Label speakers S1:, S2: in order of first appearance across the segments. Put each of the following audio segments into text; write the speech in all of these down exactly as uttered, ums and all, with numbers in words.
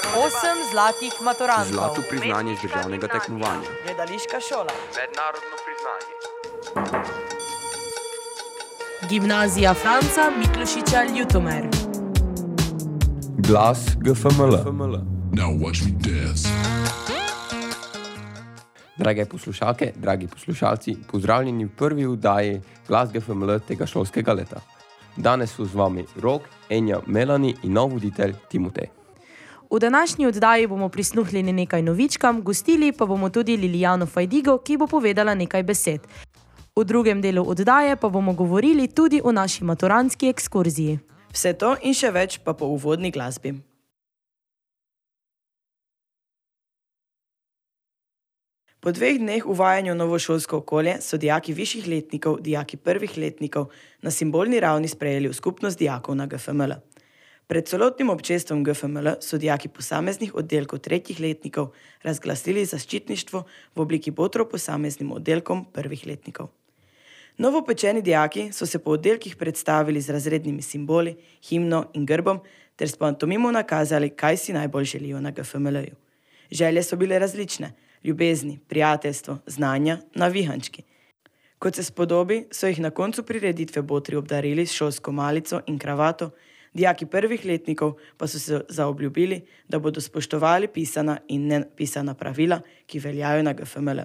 S1: Osem zlatih maturantov.
S2: Zlato priznanje z državnega tekmovanja.
S1: Gledališka šola.
S3: Mednarodno priznanje.
S1: Gimnazija Franca Miklošiča Ljutomer.
S2: Glas G F M L.
S4: Now watch me dance.
S2: Drage poslušalke, dragi poslušalci, pozdravljeni v prvi oddaji Glas G F M L tega šolskega leta. Danes so z vami Rok, Enja, Melani in nov voditelj Timotej.
S1: V današnji oddaji bomo prisluhnili nekaj novičkam, gostili pa bomo tudi Lilijano Fajdigo, ki bo povedala nekaj besed. V drugem delu oddaje pa bomo govorili tudi o naši maturantski ekskurziji.
S5: Vse to in še več pa po uvodni glasbi. Po dveh dneh uvajanja v novo šolsko okolje so dijaki višjih letnikov, dijaki prvih letnikov na simbolni ravni sprejeli v skupnost dijakov na G F M L. Pred celotnim občestvom G F M L so dijaki posameznih oddelkov tretjih letnikov razglasili zaščitništvo v obliki botrov posameznim oddelkom prvih letnikov. Novopečeni dijaki so se po oddelkih predstavili z razrednimi simboli, himno in grbom ter s pantomimo nakazali, kaj si najbolj želijo na G F M L-ju. Želje so bile različne. Ljubezni, prijateljstvo, znanja, navihančki. Kot se spodobi, so jih na koncu prireditve botri obdarili s šolsko malico in kravato, dijaki prvih letnikov pa so se zaobljubili, da bodo spoštovali pisana in nepisana pravila, ki veljajo na G F M L.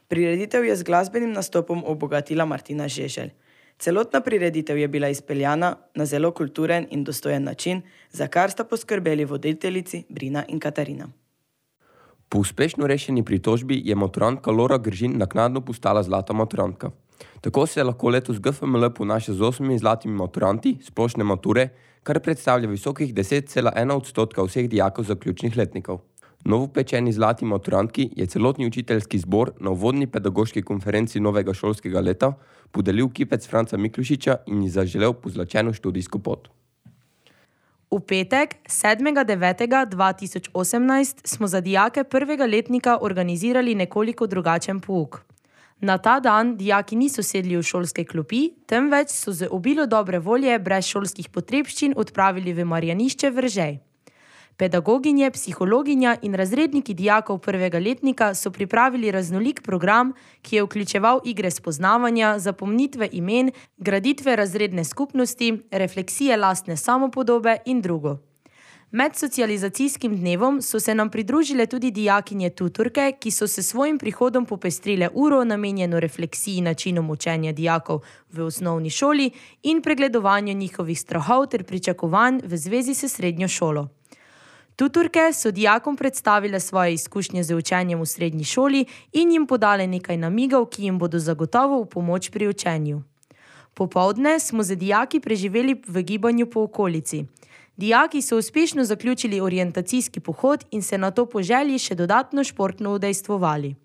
S5: Prireditev je z glasbenim nastopom obogatila Martina Žeželj. Celotna prireditev je bila izpeljana na zelo kulturen in dostojen način, za kar sta poskrbeli voditeljici Brina in Katarina.
S2: Po uspešno rešeni pritožbi je maturantka Lora Gržin naknadno postala zlata maturantka. Tako se lahko letos G F M L ponaša z osmimi zlatimi maturanti splošne mature, kar predstavlja visokih deset cela ena odstotka vseh dijakov zaključnih letnikov. Novopečeni zlati maturantki je celotni učiteljski zbor na uvodni pedagoški konferenci novega šolskega leta podelil kipec Franca Miklošiča in ji zaželel pozlačeno študijsko pot.
S1: V petek, sedmega devetega dva tisoč osemnajst, smo za dijake prvega letnika organizirali nekoliko drugačen pouk. Na ta dan dijaki niso sedli v šolske klopi, temveč so z obilo dobre volje brez šolskih potrebščin odpravili v Marjanišče Veržej. Pedagoginje, psihologinja in razredniki dijakov prvega letnika so pripravili raznolik program, ki je vključeval igre spoznavanja, zapomnitve imen, graditve razredne skupnosti, refleksije lastne samopodobe in drugo. Med socializacijskim dnevom so se nam pridružile tudi dijakinje tutorke, ki so se svojim prihodom popestrile uro namenjeno refleksiji načinom učenja dijakov v osnovni šoli in pregledovanju njihovih strahov ter pričakovanj v zvezi s srednjo šolo. Tutorke so dijakom predstavile svoje izkušnje z učenjem v srednji šoli in jim podale nekaj namigov, ki jim bodo zagotovo v pomoč pri učenju. Popoldne smo z dijaki preživeli v gibanju po okolici. Dijaki so uspešno zaključili orientacijski pohod in se nato po želji še dodatno športno udejstvovali.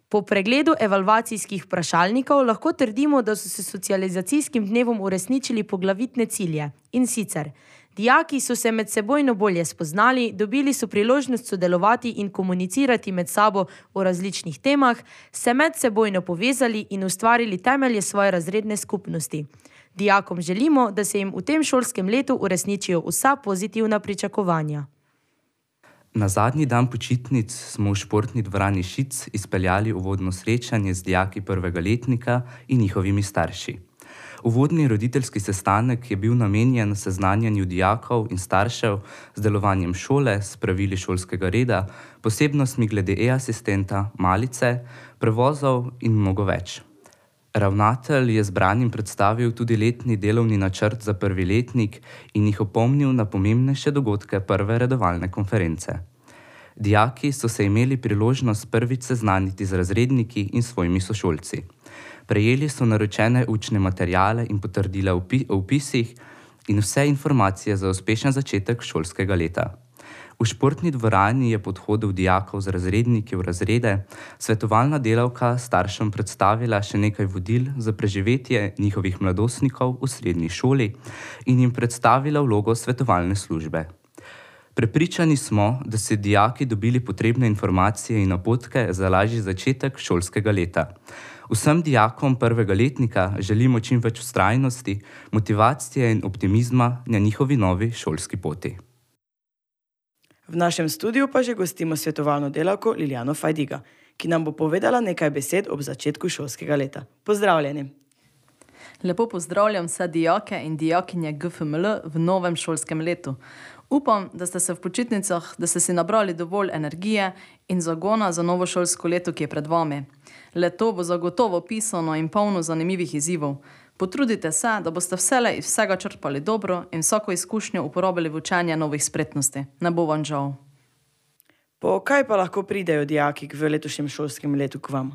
S1: Po pregledu evalvacijskih vprašalnikov lahko trdimo, da so se socializacijskim dnevom uresničili poglavitne cilje. In sicer, dijaki so se med sebojno bolje spoznali, dobili so priložnost sodelovati in komunicirati med sabo o različnih temah, se med sebojno povezali in ustvarili temelje svoje razredne skupnosti. Dijakom želimo, da se jim v tem šolskem letu uresničijo vsa pozitivna pričakovanja.
S6: Na zadnji dan počitnic smo v športni dvorani Šic izpeljali uvodno srečanje z dijaki prvega letnika in njihovimi starši. Uvodni roditeljski sestanek je bil namenjen seznanjanju dijakov in staršev z delovanjem šole, s pravili šolskega reda, posebnostmi glede e-asistenta, malice, prevozov in mnogo več. Ravnatelj je zbranim predstavil tudi letni delovni načrt za prvi letnik in jih opomnil na pomembnejše dogodke prve redovalne konference. Dijaki so se imeli priložnost prvič seznaniti z razredniki in svojimi sošolci. Prejeli so naročene učne materiale in potrdila o vpisih in vse informacije za uspešen začetek šolskega leta. V športni dvorani je pod hodom dijakov z razredniki v razrede svetovalna delavka staršem predstavila še nekaj vodil za preživetje njihovih mladostnikov v srednji šoli in jim predstavila vlogo svetovalne službe. Prepričani smo, da so dijaki dobili potrebne informacije in napotke za lažji začetek šolskega leta. Vsem dijakom prvega letnika želimo čim več vztrajnosti, motivacije in optimizma na njihovi novi šolski poti.
S5: V našem studiu pa že gostimo svetovalno delavko Liljano Fajdiga, ki nam bo povedala nekaj besed ob začetku šolskega leta. Pozdravljeni!
S3: Lepo pozdravljam vse dijake in dijakinje G F M L v novem šolskem letu. Upam, da ste se v počitnicah, da ste si nabrali dovolj energije in zagona za novo šolsko leto, ki je pred vami. Leto bo zagotovo pisano in polno zanimivih izzivov. Potrudite se, da boste vselej iz vsega črpali dobro in vsako izkušnjo uporabili v učenje novih spretnosti. Ne bo vam žal.
S5: Po kaj pa lahko pridejo dijaki v letošnjem šolskem letu k vam?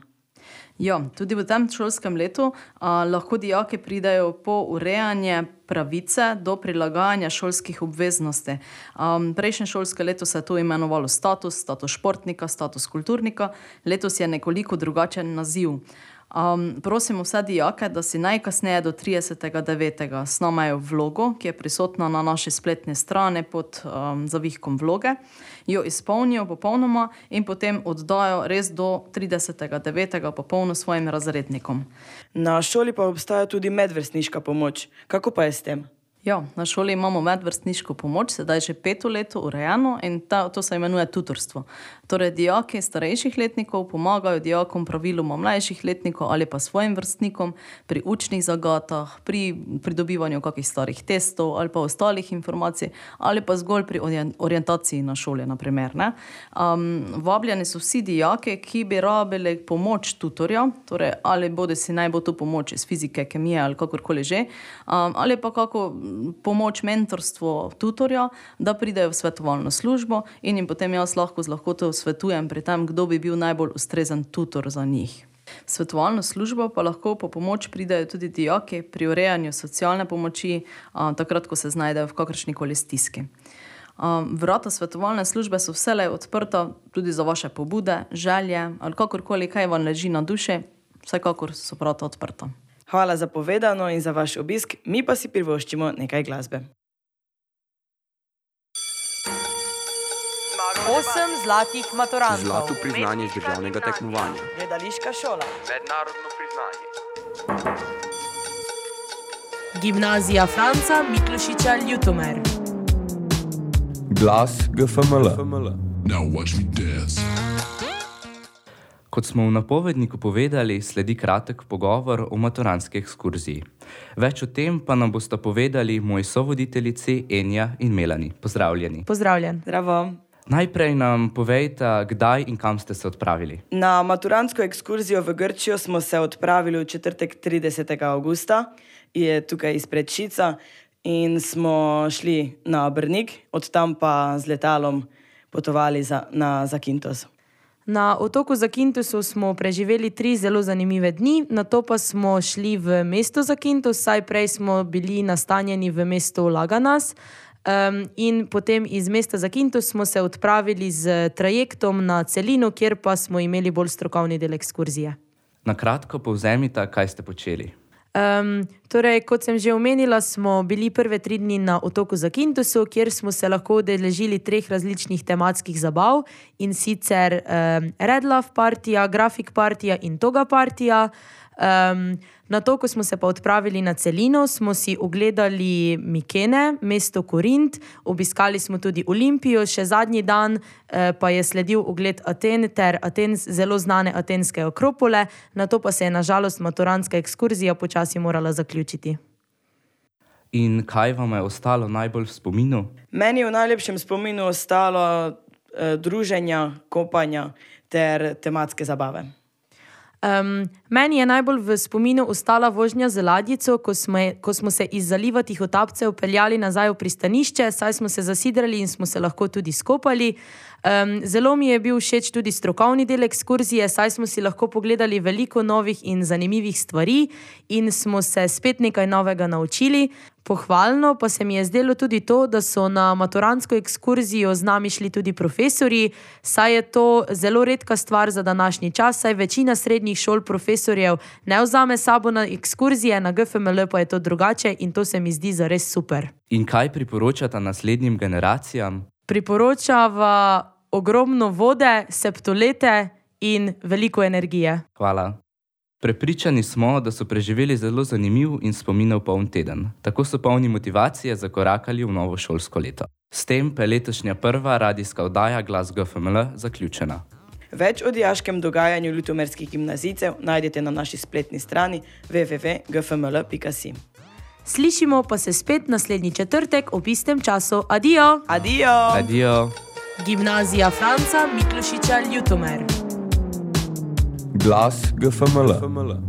S3: Ja, tudi v tem šolskem letu a, lahko dijaki pridejo po urejanje pravice do prilagajanja šolskih obveznosti. Um, prejšnje šolske leto se je to imenovalo status, status športnika, status kulturnika. Letos je nekoliko drugačen naziv. Um, prosimo vse dijake, da si najkasneje do tridesetega devetega snamajo vlogo, ki je prisotna na naši spletni strani pod um, zavihkom vloge, jo izpolnijo popolnoma in potem oddajo res do tridesetega devetega popolno svojim razrednikom.
S5: Na šoli pa obstaja tudi medvrstniška pomoč. Kako pa je s tem?
S3: Ja, na šoli imamo medvrstniško pomoč, sedaj že peto leto urejeno in ta, to se imenuje tutorstvo. Torej, dijaki starejših letnikov pomagajo dijakom praviloma mlajših letnikov ali pa svojim vrstnikom pri učnih zagatah, pri pridobivanju kakih starih testov ali pa ostalih informacij ali pa zgolj pri orientaciji na šoli, na primer. Ne? Um, vabljeni so vsi dijaki, ki bi rabili pomoč tutorja, torej ali bodi si naj bo to pomoč iz fizike, kemije ali kakorkoli že, um, ali pa kako pomoč, mentorstvo tutorja, da pridejo v svetovalno službo in jim potem jaz lahko z lahkoto svetujem pri tem, kdo bi bil najbolj ustrezen tutor za njih. V svetovalno službo pa lahko po pomoč pridejo tudi dijaki pri urejanju socialne pomoči, a, takrat, ko se znajdejo v kakršnikoli stiski. A, vrata svetovalne službe so vselej odprta tudi za vaše pobude, želje ali kakorkoli, kaj vam leži na duši, vsekakor so vrata odprta.
S5: Hvala za povedano in za vaš obisk, mi pa si privoščimo nekaj glasbe.
S1: Osem zlatih maturantov.
S2: Zlato priznanje z državnega tekmovanja.
S5: Gledališka šola.
S2: Mednarodno priznanje.
S1: Gimnazija Franca Miklošiča Ljutomer.
S2: Glas G F M L.
S4: Now watch me dance.
S6: Kot smo v napovedniku povedali, sledi kratek pogovor o maturantski ekskurziji. Več o tem pa nam bosta povedali moji sovoditeljici Enja in Melani. Pozdravljeni.
S1: Pozdravljen.
S5: Zdravo.
S6: Najprej nam povejte, kdaj in kam ste se odpravili.
S5: Na maturantsko ekskurzijo v Grčijo smo se odpravili v četrtek tridesetega avgusta, je tukaj izpred Šica, in smo šli na Brnik, od tam pa z letalom potovali za, na Zakintos.
S1: Na otoku Zakintosu smo preživeli tri zelo zanimive dni, nato pa smo šli v mesto Zakintos, saj prej smo bili nastanjeni v mestu Laganas, um, in potem iz mesta Zakintos smo se odpravili z trajektom na celino, kjer pa smo imeli bolj strokovni del ekskurzije.
S6: Na kratko povzemite, kaj ste počeli.
S1: Um, torej, kot sem že omenila, smo bili prve tri dni na otoku Zakintosu, kjer smo se lahko udeležili treh različnih tematskih zabav, in sicer um, Red Love partija, Grafik partija in Toga partija. Um, na to, ko smo se pa odpravili na celino, smo si ogledali Mikene, mesto Korint, obiskali smo tudi Olimpijo, še zadnji dan eh, pa je sledil ogled Aten ter Aten, zelo znane atenske akropole, na to pa se je na žalost maturantska ekskurzija počasi morala zaključiti.
S6: In kaj vam je ostalo najbolj v spominu?
S5: Meni je v najlepšem spominu ostalo eh, druženja, kopanja ter tematske zabave.
S1: Um, meni je najbolj v spominu ostala vožnja z ladjico, ko smo, ko smo se iz zaliva Tihotapcev peljali nazaj v pristanišče, saj smo se zasidrali in smo se lahko tudi skopali. Um, zelo mi je bil všeč tudi strokovni del ekskurzije, saj smo si lahko pogledali veliko novih in zanimivih stvari in smo se spet nekaj novega naučili. Pohvalno pa se mi je zdelo tudi to, da so na maturantsko ekskurzijo z nami šli tudi profesorji, saj je to zelo redka stvar za današnji čas, saj večina srednjih šol profesorjev ne vzame sabo na ekskurzije, na G F M L pa je to drugače in to se mi zdi zares super.
S6: In kaj priporočata naslednjim generacijam?
S1: Priporočava ogromno vode, septolete in veliko energije.
S6: Hvala. Prepričani smo, da so preživeli zelo zanimiv in spominov poln teden. Tako so polni motivacije zakorakali v novo šolsko leto. S tem pa je letošnja prva radijska oddaja Glas G F M L zaključena.
S5: Več o dijaškem dogajanju ljutomerskih gimnazijcev najdete na naši spletni strani w w w pika g f m l pika si.
S1: Slišimo pa se spet naslednji četrtek ob istem času. Adijo!
S5: Adijo!
S6: Adijo!
S1: Gimnazija Franca Miklošiča Ljutomer.
S2: Glas G F M L.